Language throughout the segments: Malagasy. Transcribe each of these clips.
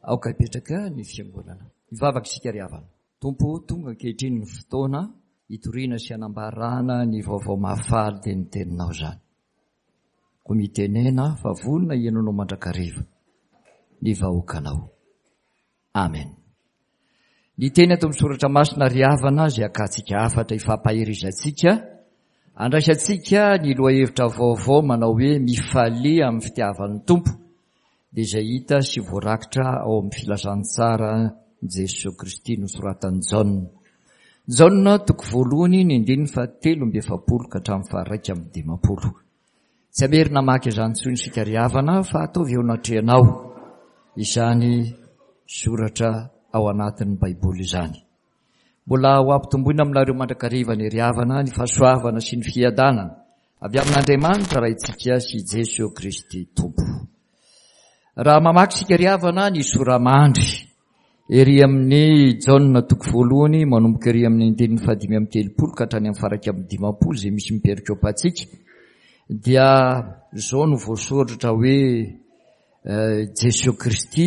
Aoka hipetraka ny fiangonana. Hivavaka isika ry havana. Tompo o, tonga ankehitriny ny fotoana hitoriana sy hanambarana ny vaovao mahafaly dia ny teninao izany. Koa mitenena fa vonona hihaino anao mandrakariva ny vahoakanao. Amen. Ny teny ato amin'ny soratra masina ry havana izay akantsika hafatra ifampaherizantsika, andraisantsika ny lohahevitra vaovao manao hoe mifalia amin'ny fitiavan'ny Tompo dia izay hita sy voarakitra ao amin'ny filazantsara Jesoa Kristy nosoratan'i Jaona. Jaona toko voalohany ny andininy faha-43 ka hatramin'ny faha-51. Tsy hamerina hamaky izany intsony isika ry havana fa ataovy eo anatrehanao izany soratra ao anatin'ny Baiboly izany. Mbola ho ampitomboina aminareo mandrakariva ny ry havana ny fahasoavana sy ny fiadanana avy amin'Andriamanitra Raintsika sy Jesoa Kristy Tompo. Raha mamaky isika ry havana ny sora-mandry Ery amin'ny Jaona toko voalohany manomboka ery amin'ny andininy faha-35 ka hatrany amin'ny faha-51 izay misy ny perikopantsika dia izao no voasoratra hoe Jesoa Kristy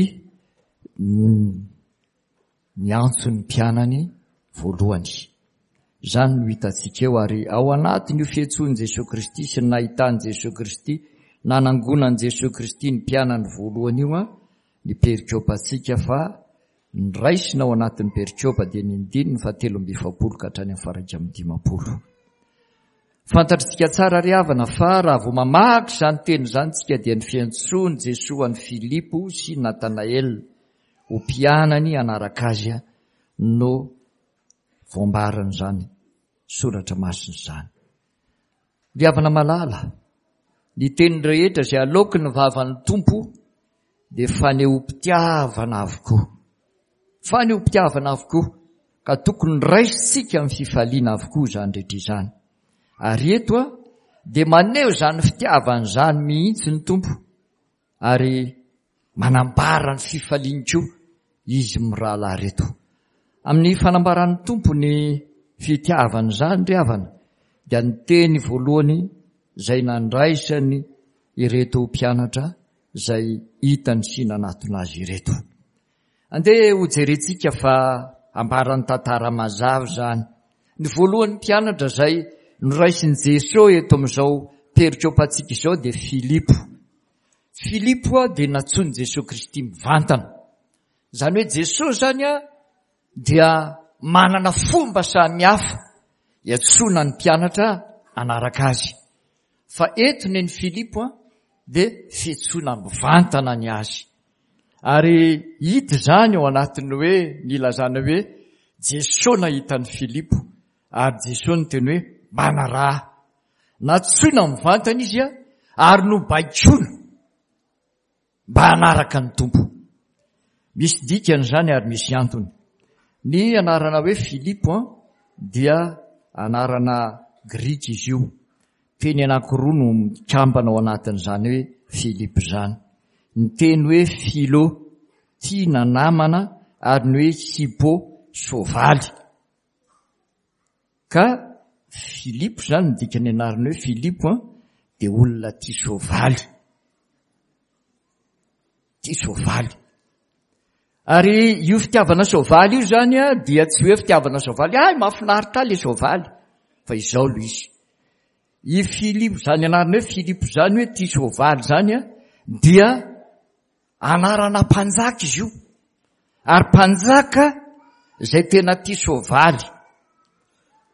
niantso ny mpianany voalohany. Izany no hitantsika eo ary ao anatin'io fiantsoan'i Jesoa Kristy sy ny nahitan'i Jesoa Kristy nanangonan'i Jesoa Kristy ny mpianany voalohany io ny perikopantsika fa ny raisina ao anatin'ny perikopa dia ny andininy faha-43 ka hatrany amin'ny faha-51. Fantatritsika tsara ry havana fa raha vao mamaky izany teny izany tsika dia ny fiantsoan'i Jesoa an'i Filipo sy Natanaela ho mpianany hanaraka azy no voambaran'izany soratra masina izany. Ry havana malala, ny teny rehetra izay aloaky ny vavan'ny Tompo dia fanehoam-pitiavana avokoa. Fanehoam-pitiavana avokoa, ka tokony raisintsika amin'ny fifaliana avokoa izany rehetra izany. Ary eto dia maneho izany fitiavana izany mihitsy ny Tompo. Ary manambara ny fifaliany koa izy mirahalahy ireto. Amin'ny fanambaran'ny Tompo ny fitiavany izany ry havana dia ny teny voalohany izay nandraisany ireto mpianatra izay hitany sy nanatona azy ireto. Andeha hojerentsika fa ambaran'ny tantara mazava izany. Ny voalohan'ny mpianatra izay noraisin'i Jesoa eto amin'izao perikopantsika izao dia Filipo. Filipo dia nantsoin'i Jesoa Kristy mivantana. Izany hoe Jesoa izany dia manana fomba samihafa iantsoana ny mpianatra hanaraka azy. Fa eto nen'i Filipo dia fiantsoana mivantana ny azy. Ary hita izany ao anatin'ny hoe nilazana hoe Jesoa nahita an'i Filipo ary Jesoa niteny hoe manaraha. Nantsoina mivantana izy ary nobaikoina mba hanaraka ny Tompo. Misy dikany izany ary misy antony. Ny anarana hoe Filipo dia anarana grika izy io. Teny anankiroa no mikambana ao anatin'izany hoe Filipo izany. Ny teny hoe philo, tia na namana, ary ny hoe hippo, soavaly. Ka Filipo izany, ny dikan'ny anarana hoe Filipo dia olona tia soavaly. Tia soavaly. Ary io fitiavana soavaly io izany dia tsy hoe fitiavana soavaly, hay mahafinaritra ahy ilay soavaly, fa izao lo izy. I Filipo izany anarana hoe Filipo izany hoe tia soavaly izany dia anarana mpanjaka izy io. Ary mpanjaka izay tena tia soavaly.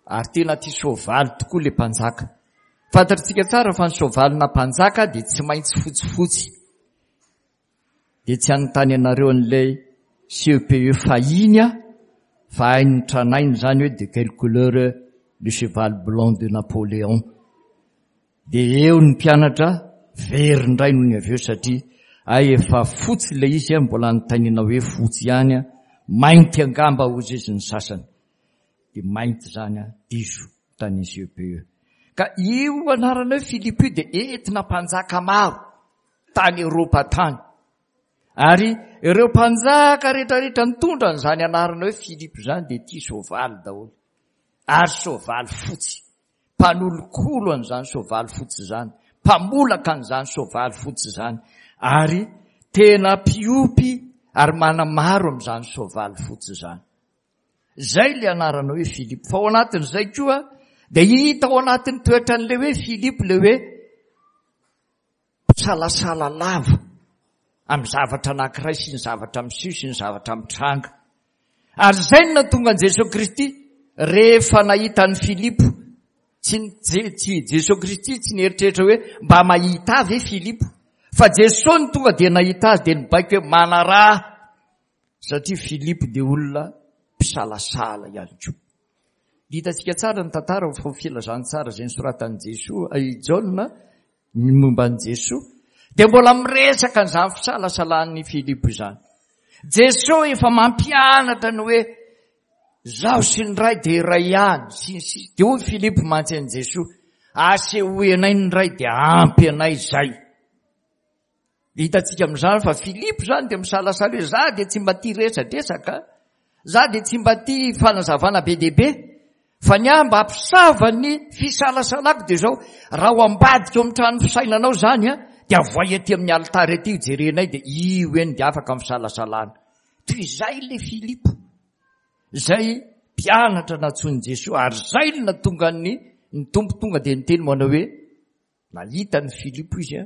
Ary tena tia soavaly tokoa ilay mpanjaka. Fantatritsika tsara fa ny soavalina mpanjaka dia tsy maintsy fotsifotsy. Dia tsy hanontany anareo an'ilay CEPE fahiny aho fa hain'ny tranainy izany hoe de quelle couleur le cheval blanc de Napoléon. Dia eo ny mpianatra very indray nony avy eo satria hay efa fotsy ilay izy mbola anontaniana hoe fotsy ihany, mainty angamba hozy izy ny sasany. Dia mainty izany diso tany CEPE. Ka io anarana hoe Philippe io dia entina mpanjaka maro. tany Eropa tany. Ary ireo mpanjaka rehetrarehetra nitondra an'izany anarana hoe Filipo izany dia tia soavaly daholo. Ary soavaly fotsy. Mpanolokolo an'izany soavaly fotsy izany. Mpamolaka an'izany soavaly fotsy izany. Ary tena mpiompy ary manamaro amin'izany soavaly fotsy izany. Izay ilay anarana hoe Filipo. Fa ao anatin'izay koa dia hita ao anatin'ny toetran'ilay hoe Filipo ilay hoe mpisalasala lava amin'ny zavatra anankiray sy ny zavatra miseho sy ny zavatra mitranga. Ary izay no nahatonga an'i Jesoa Kristy rehefa nahita an'i Filipo. Tsy tsy Jesoa Kristy tsy nieritreritra hoe mba mahita ahy ve Filipo? Fa Jesoa no tonga dia nahita azy dia nibaiko hoe manaraha satria Filipo dia olona mpisalasala ihany koa. Hitantsika tsara ny tantara fa filazantsara izay nosoratan'i Jesoa, i Jaona ny momba an'i Jesoa dia mbola miresaka an'izany fisalasalan'i Filipo izany. Jesoa efa mampianatra ny hoe zaho sy ny Ray dia iray ihany sy ny sisa. Dia hoy Filipo mantsy an'i Jesoa, asehoy anay ny Ray dia ampy anay izay. Dia hitantsika amin'izany fa Filipo izany dia misalasala hoe za dia tsy mba tia resadresaka, za dia tsy mba tia fanazavana be dia be, fa ny ahy mba hampisava ny fisalasalako dia izao, raha ao ambadika ao amin'ny trano fisainanao izany an, dia avoay aty amin'ny alitara aty hojerenay dia io eny dia afaka ny fisalasalana. Toy izay ilay Filipo, izay mpianatra nantsoin'i Jesoa ary izay no nahatonga ny ny Tompo tonga dia niteny manao hoe Nahita an'i Filipo izy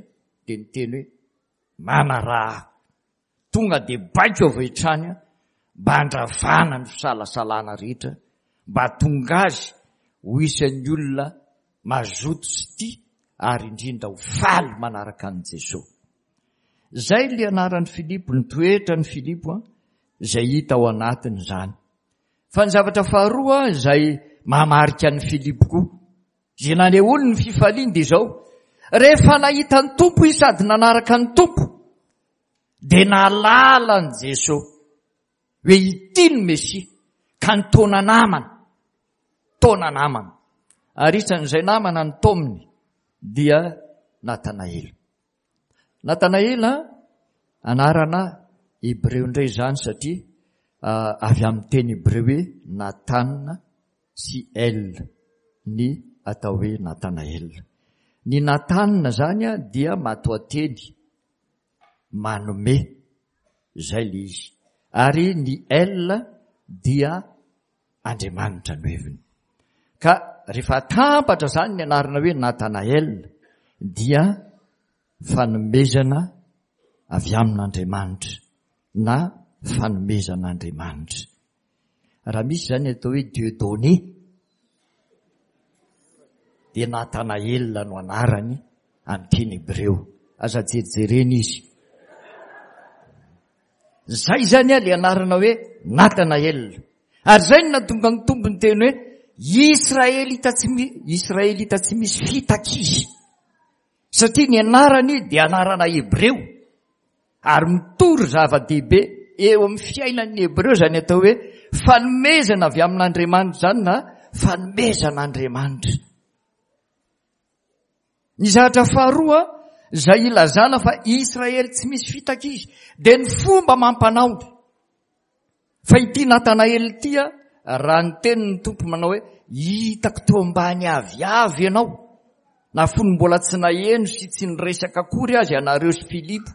dia niteny hoe, Manaraha. Tonga dia baiko avy hatrany mba handravana ny fisalasalana rehetra, mba hahatonga azy ho isan'ny olona mazoto sy tia ary indrindra ho faly manaraka an'i Jesoa. Izay ilay anaran'i Filipo, ny toetran'i Filipo izay hita ao anatiny izany. Fa ny zavatra faharoa izay mahamarika an'i Filipo koa, Izay nanehoany ny fifaliany dia izao, rehefa nahita ny Tompo izy sady nanaraka ny Tompo, dia nahalala an'i Jesoa hoe ity ny Mesia, ka nitaona namana, taona namana. Ary isan'izay namana nitaominy dia Natanaela. Natanaela, anarana hebreo indray izany satria avy amin'ny teny hebreo hoe Nathan sy El ny atao hoe Natanael. Ny Nathan izany dia matoanteny manome, izay ilay izy. Ary ny El dia Andriamanitra no heviny. Ka rehefa atambatra izany ny anarana hoe Natanael dia fanomezana avy amin'Andriamanitra na fanomezan'Andriamanitra. Raha misy izany atao hoe Dieudonné dia Natanael no anarany amin'ny teny hebreo. Aza jerijerena izy. Zay zany a le anarana hoe Natanael. Ary zay no nahatonga ny Tompo niteny hoe Israelita tsy Israelita tsy misy fitaka izy. Satria ny anarany dia anarana hebreo. Ary mitory zava-dehibe eo amin'ny fiainan'ny hebreo izany atao hoe fanomezana avy amin'Andriamanitra izany na fanomezan'Andriamanitra. Ny zavatra faharoa izay ilazana fa Israely tsy misy fitaka izy dia ny fomba amam-panaony. Fa ity Natanaela ity raha niteny ny Tompo manao hoe hitako teo ambany aviavy ianao na fony mbola tsy naheno sy tsy niresaka akory aza ianareo sy Filipo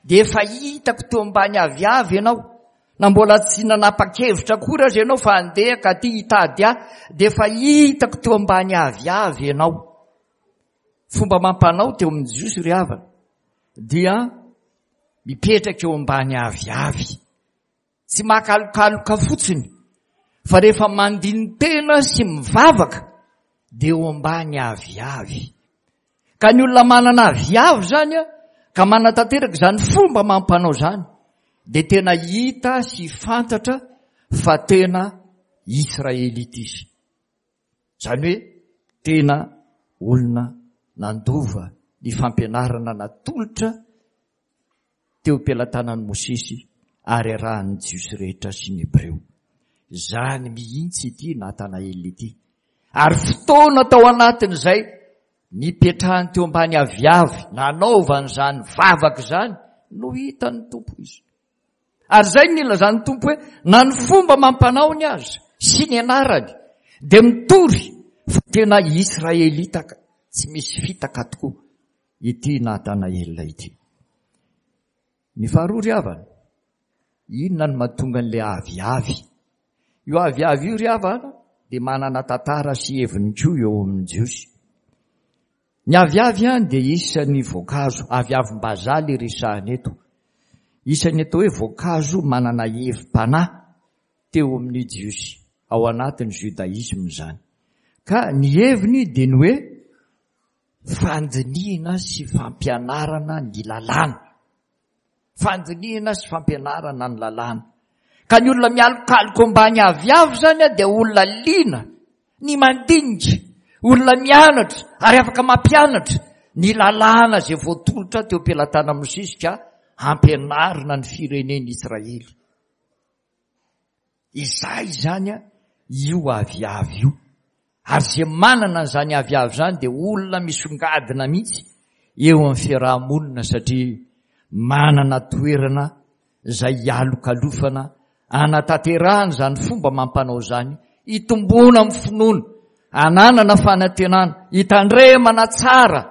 dia efa hitako teo ambany aviavy ianao Na mbola tsy nanapa-kevitra akory aza ianao fa handeha ka aty hitady ahy, dia efa hitako teo ambany aviavy ianao. Fomba amam-panao teo amin'ny Jiosy ry havana dia mipetraka eo ambany aviavy. Tsy makalokaloka fotsiny fa rehefa mandini-tena sy mivavaka dia eo ambany aviavy. Ka ny olona manana aviavy izany ka manatanteraka izany fomba amam-panao izany dia tena hita sy fantatra fa tena Israelita izy. Izany hoe tena olona nandova ny fampianarana natolotra teo am-pelatanan'i Mosesy ary arahan'ny Jiosy rehetra sy ny Hebreo. Izany mihitsy ity Natanaela ity. Ary fotoana tao anatin'izay nipetrahany teo ambany aviavy nanaovany izany vavaka izany no hitan'ny Tompo izy. Ary izay no nilazan'ny Tompo hoe na ny fomba mampanaony aza sy ny anarany dia mitory fa tena Israelita tsy misy fitaka tokoa. ity Natanaela ity. Ny faharoa ry havana Inona no mahatonga an'ilay aviavy? Io aviavy io ry havana dia manana tantara sy heviny koa eo amin'ny Jiosy. Ny aviavy dia isan'ny voankazo, aviavim-bazaha ilay resahana eto. Isan'ny atao hoe voankazo manana hevi-panahy teo amin'ny Jiosy, ao anatin'ny Judaïsme izany. Ka ny heviny dia ny hoe fandinihina sy fampianarana ny lalàna. Fandinihina sy fampianarana ny lalàna. Ka ny olona mialokaloka ambany aviavy izany dia olona liana ny mandinika, olona mianatra ary afaka mampianatra ny lalàna izay voatolotra teo am-pelatanan'i Mosesy ka hampianarina ny firenen'Israely. Izay izany io aviavy io. Ary izay manana an'izany aviavy izany dia olona misongadina mihitsy eo amin'ny fiaraha-monina satria manana toerana izay hialokalofana hanatanterahana izany fomba amam-panao izany, hitomboana amin'ny finoana, hananana fanantenana, hitandremana tsara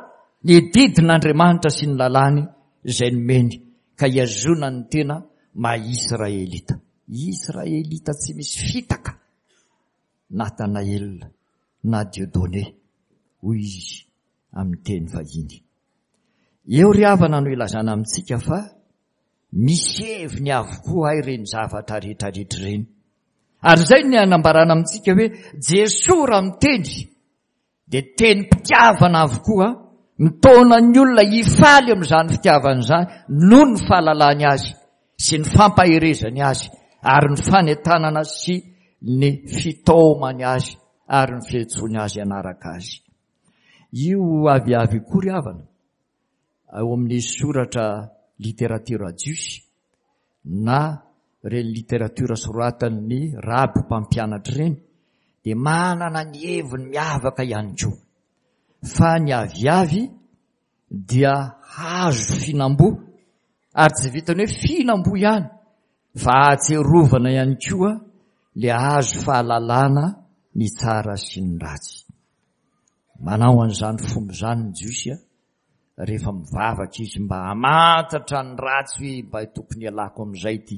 ny didin'Andriamanitra sy ny lalàny izay nomeny ka hihazonany ny tena maha Israelita. Israelita tsy misy fitaka. Nathanaël na Dieudonné, hoy izy amin'ny teny vahiny. Eo ry havana no ilazana amintsika fa misy heviny avokoa hay ireny zavatra rehetra rehetra ireny. Ary izay ny anambarana amintsika hoe Jesoa raha miteny dia tenim-pitiavana avokoa, mitaona ny olona hifaly amin'izany fitiavana izany noho ny fahalalany azy sy ny fampaherezany azy ary ny fanentanana sy ny fitaomany azy ary ny fiantsoany azy hanaraka azy. Io aviavy io koa ry havana, ao amin'ny soratra literatiora jiosy na ireny literatiora soratan'ny raby mpampianatra ireny dia manana ny heviny miavaka ihany koa fa ny aviavy dia hazo fihinam-boa ary tsy vitan'ny hoe fihinam-boa ihany fa ahatsiarovana ihany koa le hazo fahalalana ny tsara sy ny ratsy. Manao an'izany fomba izany ny Jiosy rehefa mivavaka izy mba hamantatra ny ratsy hoe mba tokony hialako amin'izay ity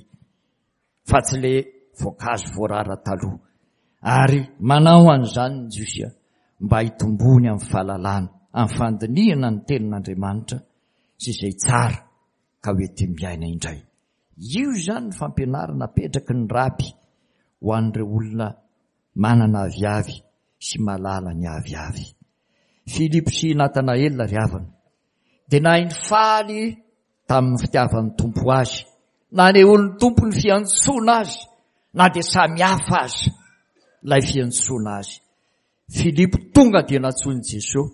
fa tsy le voankazo voarara taloha. Ary manao an'izany ny Jiosy mba hitomboany amin'ny fahalalana, amin'ny fandinihana ny tenin'Andriamanitra sy izay tsara ka ho enti-miaina indray. Io izany ny fampianarana apetraky ny raby ho an'ireo olona manana aviavy sy mahalala ny aviavy. Filipo sy Natanaela ry havana dia nahay nifaly tamin'ny fitiavan'ny Tompo azy, nanehoan'ny Tompo ny fiantsoana azy na dia samy hafa aza ilay fiantsoana azy. Filipo tonga dia nantsoin'i Jesoa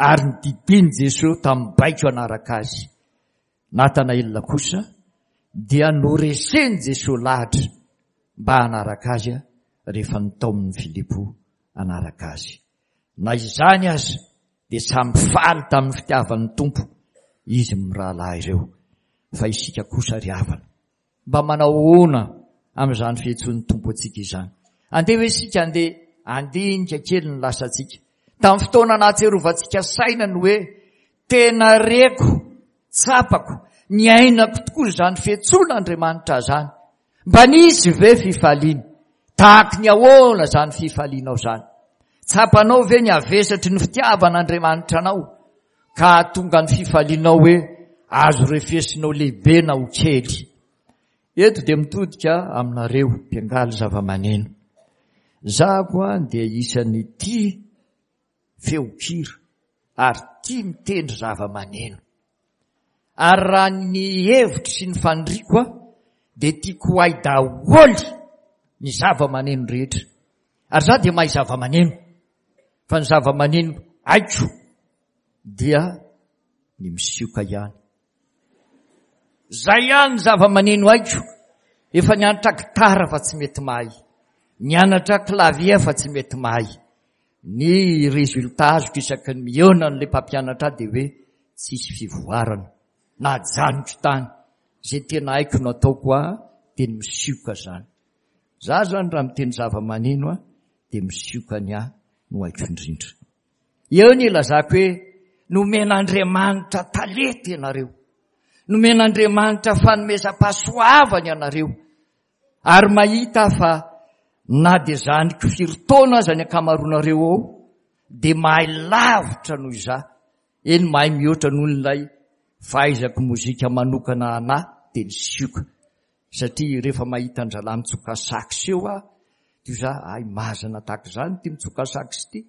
ary nodidian'i Jesoa tamin'ny baiko hanaraka azy. Natanaela kosa dia noresen'i Jesoa lahatra mba hanaraka azy rehefa notaomin'i Filipo hanaraka azy. Na izany aza dia samy faly tamin'ny fitiavan'ny Tompo izy mirahalahy ireo. Fa isika kosa ry havana, mba manao ahoana amin'izany fiantsoan'ny Tompo antsika izany? Andeha hoe isika andeha handinika kely ny lasantsika. Tamin'ny fotoana nahatsiarovantsika saina ny hoe tena reko, tsapako, niainako tokoa izany fiantsoan'Andriamanitra izany. Mba nisy ve fifaliana? Tahaky ny ahoana izany fifalianao izany? Tsapanao ve ny havesatry ny fitiavan'Andriamanitra anao ka hahatonga ny fifalianao hoe azo refesinao lehibe na ho kely? Eto dia mitodika aminareo mpiangaly zava-maneno. Zahako dia isan'ny tia feon-kira ary tia mitendry zava-maneno. Ary raha ny hevitro sy ny faniriako aho dia tiako ho hay daholo ny zava-maneno rehetra. Ary za dia mahay zava-maneno. Fa ny zava-maneno haiko dia ny misioka ihany. Zay ihany ny zava-maneno haiko. Efa nianatra gitara fa tsy mety mahay. Nianatra clavier fa tsy mety mahay. Ny résultat azoko isaky ny mihaona an'ilay mpampianatra ahy dia hoe tsisy fivoarana. Najanoko tany. Izay tena haiko no ataoko aho dia ny misioka izany. Za zany raha miteny zava-maneno aho dia misioka ny ahy no haiko indrindra. Eo ny ilazako hoe nomen'Andriamanitra talenta ianareo. Nomen'Andriamanitra fanomezam-pahasoavana ianareo. Ary mahita aho fa na dia zandriko firy taona aza ny ankamaroanareo ao, dia mahay lavitra noho izaho, eny mahay mihoatra noho ilay fahaizako mozika manokana anà dia ny sioka. Satria rehefa mahita an-drahalahy mitsoka sax eo aho, dia za, hay mazana tahaka izany ity mitsoka sax ity.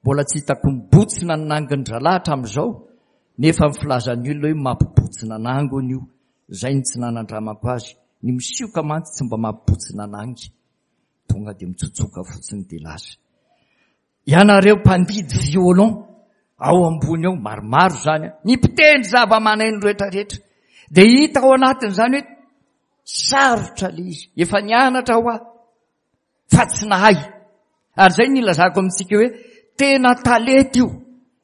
Mbola tsy hitako mibotsina ny nangin-drahalahy hatramin'izao, nefa ny filazan'ny olona hoe mampibotsina nangy hono io. Izay no tsy nanandramako azy. Ny misioka mantsy tsy mba mampibotsina nangy. Tonga dia mitsotsoka fotsiny dia lasa. Ianareo mpandidy violon ao ambony ao, maromaro izany an, ny mpitendry zava-maneno rehetrarehetra, dia hita ao anatin'izany hoe sarotra ilay izy, efa nianatra aho aho fa tsy nahay. Ary izay no ilazako amintsika hoe tena talenta io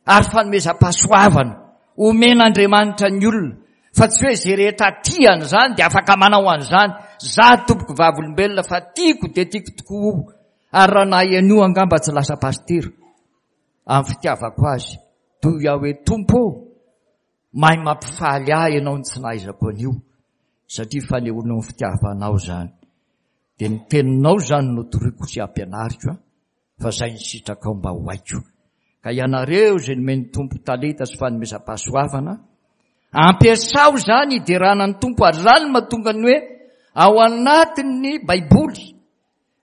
ary fanomezam-pahasoavana omen'Andriamanitra ny olona fa tsy hoe izay rehetra tia an'izany dia afaka manao an'izany. Za tompoko vavolombelona fa tiako dia tiako tokoa io Ary raha nahay an'io angamba tsy lasa pasitera amin'ny fitiavako azy toy aho hoe Tompo ô, mahay mampifaly ahy ianao ny tsy nahaizako an'io satria fanehoanao ny fitiavanao izany. Dia ny teninao izany no toriko sy ampianariko an, fa izay ny sitrakao mba ho haiko. Ka ianareo izay nomen'ny Tompo talenta sy fanomezam-pahasoavana, ampiasao izany hiderana ny Tompo ary izany no mahatonga ny hoe ao anatin'ny Baiboly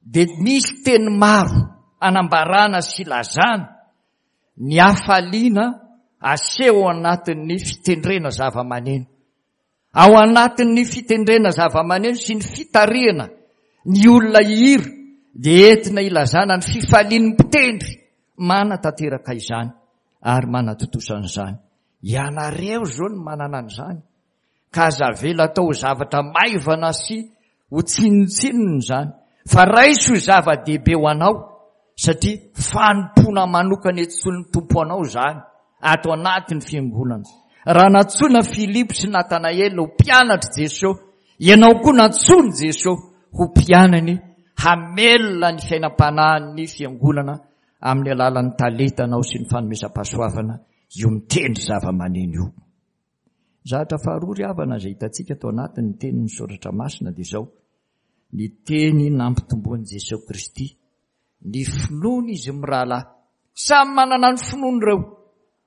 dia misy teny maro anambarana sy ilazana ny hafaliana aseho ao anatin'ny fitendrena zava-maneno. Ao anatin'ny fitendrena zava-maneno sy ny fitarihana ny olona hihira dia entina ilazana ny fifalian'ny mpitendry manatanteraka izany ary manatontosa an'izany. Ianareo izao no manana an'izany. Ka aza avela atao ho zavatra maivana sy ho tsinontsinona izany, fa raiso ho zava-dehibe ho anao, satria fanompoana manokana entsoin'ny Tompo anao izany, ato anatin'ny fiangonana. Raha nantsoina Filipo sy Natanaela ho mpianatr'i Jesoa, ianao koa nantsoin'i Jesoa ho mpianany hamelona ny fiainam-panahin'ny fiangonana amin'ny alalan'ny talentanao sy ny fanomezam-pahasoavana io mitendry zava-maneno io. Zavatra faharoa ry havana izay hitantsika tao anatin'ny tenin'ny soratra masina dia izao, ny teny nampitomboan'i Jesoa Kristy ny finoany izy mirahalahy. Samy manana ny finoany ireo,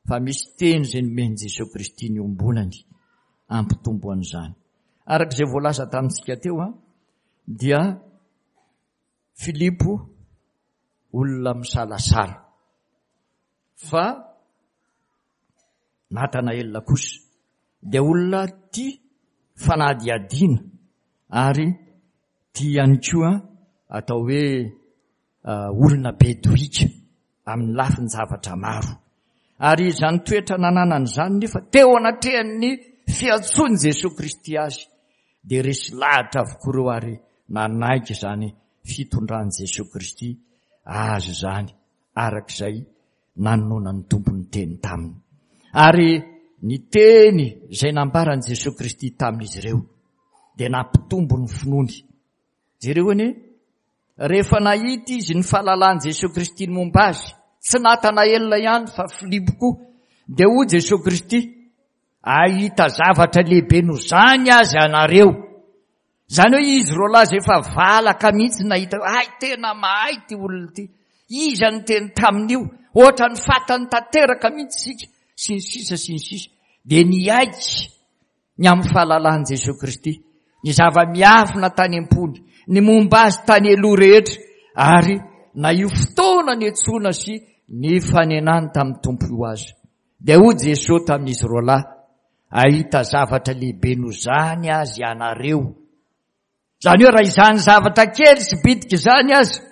fa misy teny izay nomen'i Jesoa Kristy niombonany hampitombo an'izany. Araka izay voalaza tamintsika teo dia Filipo olona misalasala fa Natanaela kosa dia olona tia fanadihadiana ary tia ihany koa atao hoe olona be dohika amin'ny lafin-javatra maro. Ary izany toetra nananany izany nefa teo anatrehan'ny fiantsoan'i Jesoa Kristy azy dia resy lahatra avokoa ireo ary nanaiky izany fitondran'i Jesoa Kristy azy izany araka izay nanononan'ny Tompo ny teny taminy. Ary ny teny izay nambaran'i Jesoa Kristy tamin'izy ireo dia nampitombo ny finoany. Jereo anie, rehefa nahita izy ny fahalalan'i Jesoa Kristy ny momba azy, tsy Natanaela ihany fa Filipo koa, dia hoy Jesoa Kristy, ahita zavatra lehibe noho izany aza ianareo. Izany hoe izy roalahy izay efa valaka mihitsy nahita hoe hay tena mahay ity olona ity. Iza no niteny tamin'io? Ohatran'ny fatany tanteraka mihitsy isika, sy ny sisa sy ny sisa. Dia niaiky ny amin'ny fahalalan'i Jesoa Kristy, ny zava-miafina tany am-pony, ny momba azy tany aloha rehetra, ary na io fotoana niantsoana sy nifanenany tamin'ny Tompo io aza. Dia hoy Jesoa tamin'izy roalahy, Hahita zavatra lehibe noho izany aza ianareo. Izany hoe raha izany zavatra kely sy bitika izany aza,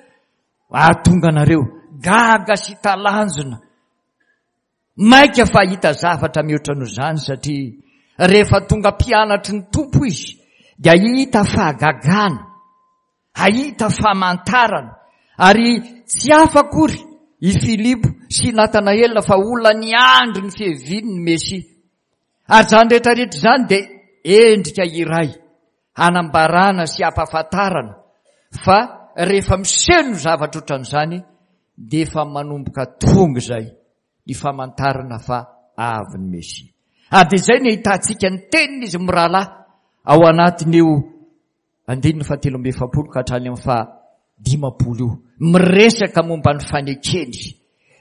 hahatonga anareo gaga sy talanjona. Mainka fa hahita zavatra mihoatra noho izany satria rehefa tonga mpianatry ny Tompo izy dia hahita fahagagana. Hahita famantarana. Ary tsy hafa akory i Filipo sy i Natanaela fa olona niandry ny fiaviany ny Mesia. Ary izany rehetra rehetra izany dia endrika iray hanambarana sy hampahafantarana fa rehefa miseho ny zavatra ohatran'izany dia efa manomboka tonga izay ny famantarana fa avy ny Mesia. Ary dia izay no ahitantsika ny tenin'izy mirahalahy ao anatin'io andininy faha-43 ka hatrany amin'ny faha-50 io. Miresaka momba ny fanekeny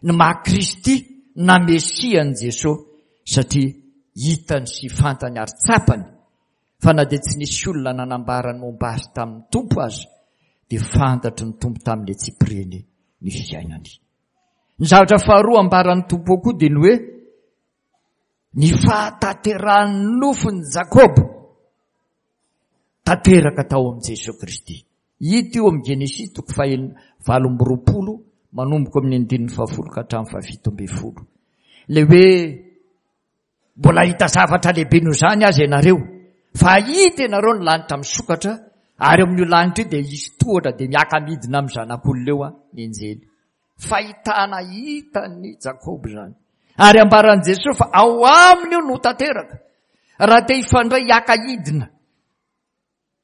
ny maha Kristy na Mesia an'i Jesoa satria hitany sy fantany ary tsapany fa na dia tsy nisy olona nanambara ny momba azy tamin'ny Tompo aza dia fantatry ny Tompo tamin'ny antsipiriany ny fiainany. Ny zavatra faharoa ambaran'ny Tompo koa dia ny hoe ny fahatanterahan'ny nofon'i Jakoba tanteraka tao amin'i Jesoa Kristy. Hita io amin'ny Genesisy toko fahenina 28 manomboka amin'ny andininy fahafolo ka hatramin'ny fahafito ambin'ny folo. Ilay hoe Mbola hahita zavatra lehibe noho izany aza ianareo, fa hahita ianareo ny lanitra misokatra, ary eo amin'io lanitra io dia hisy tohatra dia miaka-midina amin'ny zanak'olona eo ny anjely. Fahitana hitan'i Jakoba izany. Ary ambaran'i Jesosy fa ao aminy io no tanteraka. Raha te hifandray hiaka-hidina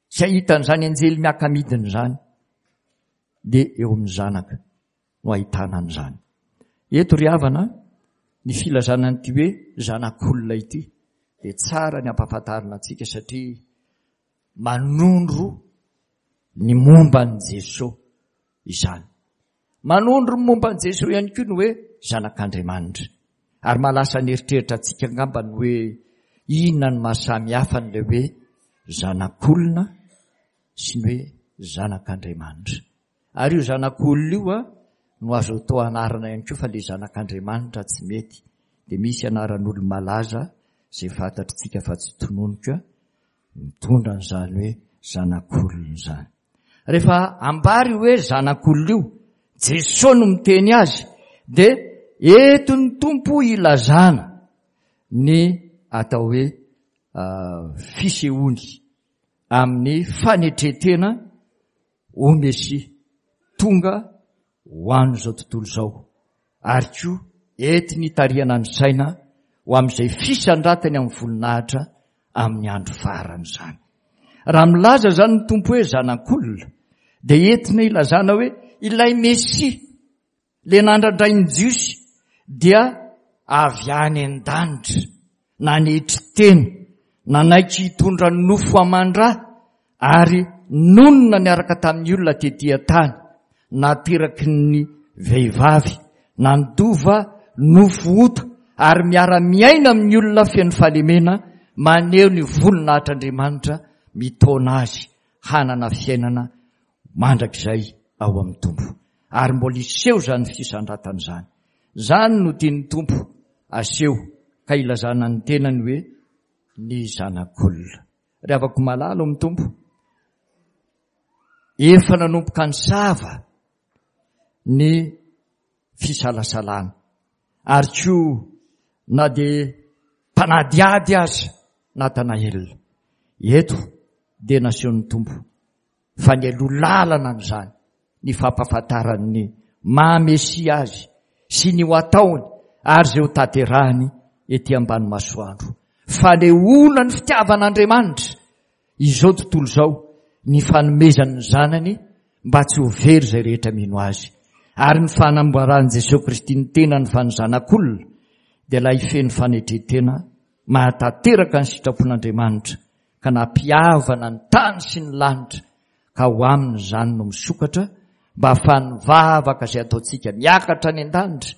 sy hahita an'izany anjely miaka-midina izany, dia eo amin'ny zanaka no ahitana an'izany. Eto ry havana, ny filazana an'ity hoe zanak'olona ity dia tsara ny ampahafantarina antsika satria manondro ny momba an'i Jesoa izany. Manondro ny momba an'i Jesoa ihany koa ny hoe zanak'Andriamanitra. Ary mahalasa ny eritreritra antsika angamba ny hoe inona no maha samy hafa an'ilay hoe zanak'olona sy ny hoe zanak'Andriamanitra. Ary io zanak'olona io no azo atao anarana ihany koa fa le zanak'Andriamanitra tsy mety. Dia misy anaran'olo-malaza izay fantatritsika fa tsy tononiko mitondra an'izany hoe zanak'olona izany. Rehefa ambara io hoe zanak'olona io, Jesoa no miteny azy, dia entin'ny Tompo ilazana ny atao hoe fisehoany amin'ny fanetren-tena ho Mesia tonga ho an'izao tontolo izao ary koa entiny hitarihana ny saina ho amin'izay fisandratany amin'ny voninahitra amin'ny andro farany izany. Raha milaza izany ny Tompo hoe zanak'olona dia entina ilazana hoe ilay Mesia Ilay nandrandrain'ny Jiosy dia avy any an-danitra, nanetry tena, nanaiky hitondra nofo aman-dra ary nonina niaraka tamin'ny olona tetỳ an-tany, nateraky ny vehivavy, nandova nofo ota ary miara-miaina amin'ny olona feno fahalemena, maneho ny voninahitr'Andriamanitra mitaona azy hanana fiainana mandrakizay ao amin'ny Tompo. Ary mbola hiseho izany fisandratana izany. Izany no tian'ny Tompo aseho ka ilazana ny tenany hoe ny Zanak'olona. Ry havako malala ao amin'ny Tompo, efa nanomboka nisava ny fisalasalana. Ary koa na dia mpanadihady aza Natanaela, eto dia nasehon'ny Tompo fa nialoha lalana an'izany ny fampahafantarany ny maha Mesia azy sy ny ho ataony ary izay ho tanterahiny ety ambany masoandro. Fanehoana ny fitiavan'Andriamanitra izao tontolo izao ny fanomezany ny Zanany mba tsy ho very izay rehetra mino Azy. Ary ny fanamboaran'i Jesoa Kristy ny tenany fa ny Zanak'olona dia ilay feno fanetren-tena mahatanteraka ny sitrapon'Andriamanitra ka nampihavana ny tany sy ny lanitra ka ho aminy izany no misokatra mba hahafahan'ny vavaka izay ataontsika miakatra any an-danitra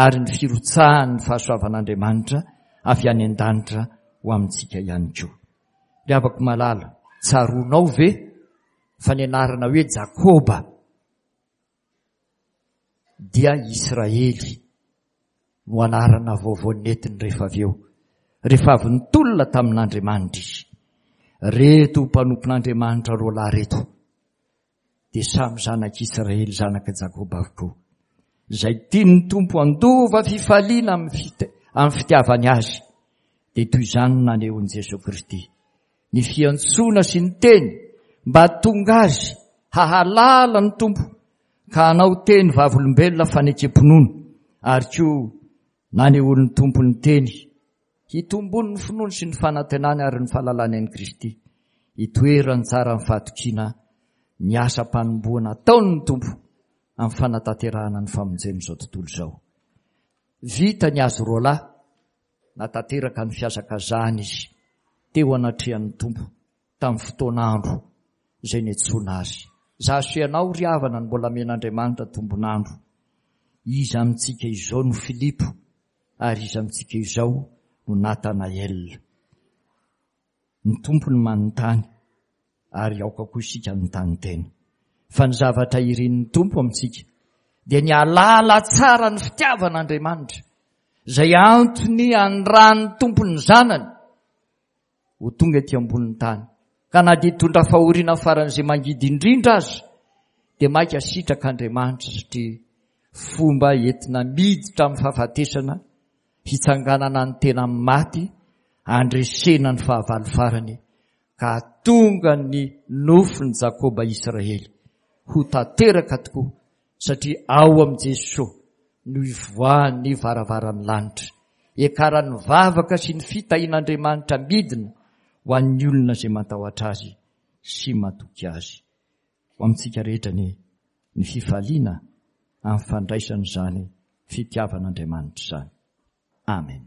ary ny firotsahan'ny fahasoavan'Andriamanitra avy any an-danitra ho amintsika ihany koa. Ry havako malala, tsaroanao ve fa ny anarana hoe Jakoba dia Israely no anarana vaovao nentiny rehefa avy eo, rehefa avy nitolona tamin'Andriamanitra izy. Reto mpanompon'Andriamanitra roalahy reto dia samy zanak'Israely, zanak'i Jakoba avokoa. Izay tian'ny Tompo handova fifaliana amin'ny fitiavany azy, dia toy izany no nanehoan'i Jesoa Kristy ny fiantsoana sy ny teny mba hahatonga azy hahalala ny Tompo ka hanao teny vavolombelona fanekem-pinoana ary koa nanehoan'ny Tompo ny teny hitombon'ny finoany sy ny fanantenany ary ny fahalalany an'i Kristy hitoerany tsara amin'ny fahatokiana ny asam-panomboana ataon'ny Tompo amin'ny fanatanterahana ny famonjen'izao tontolo izao. Vita ny azy roalahy. Natanteraka ny fihazakazahany izy teo anatrehan'ny Tompo tamin'ny fotoan'andro izay niantsoana azy. Izaho sy ianao ry havana no mbola amen'Andriamanitra tombon'andro. Iza amintsika izao no Filipo ary iza amintsika izao no Natanaela? Ny Tompo no manontany ary aoka koa isika hanontany tena. Fa ny zavatra irin'ny Tompo amintsika dia ny hahalala tsara ny fitiavan'Andriamanitra, izay antony anirahan'ny Tompo ny Zanany ho tonga ety ambonin'ny tany. Ka na dia hitondra fahoriana faran'izay mangidy indrindra aza, dia mainka sitrak'Andriamanitra satria fomba entina miditra amin'ny fahafatesana hitsanganana ny tena amin'ny maty, handresena ny fahavalo farany ka hahatonga ny nofin'i Jakoba Israely ho tanteraka tokoa satria ao amin'i Jesoa no ivoahan'ny varavaran'ny lanitra, iakaran'ny vavaka sy ny fitahian'Andriamanitra midina ho an'ny olona izay matahotra Azy sy matoky Azy. Ho amintsika rehetra anie ny fifaliana amin'ny fandraisana izany fitiavan'Andriamanitra izany. Amen.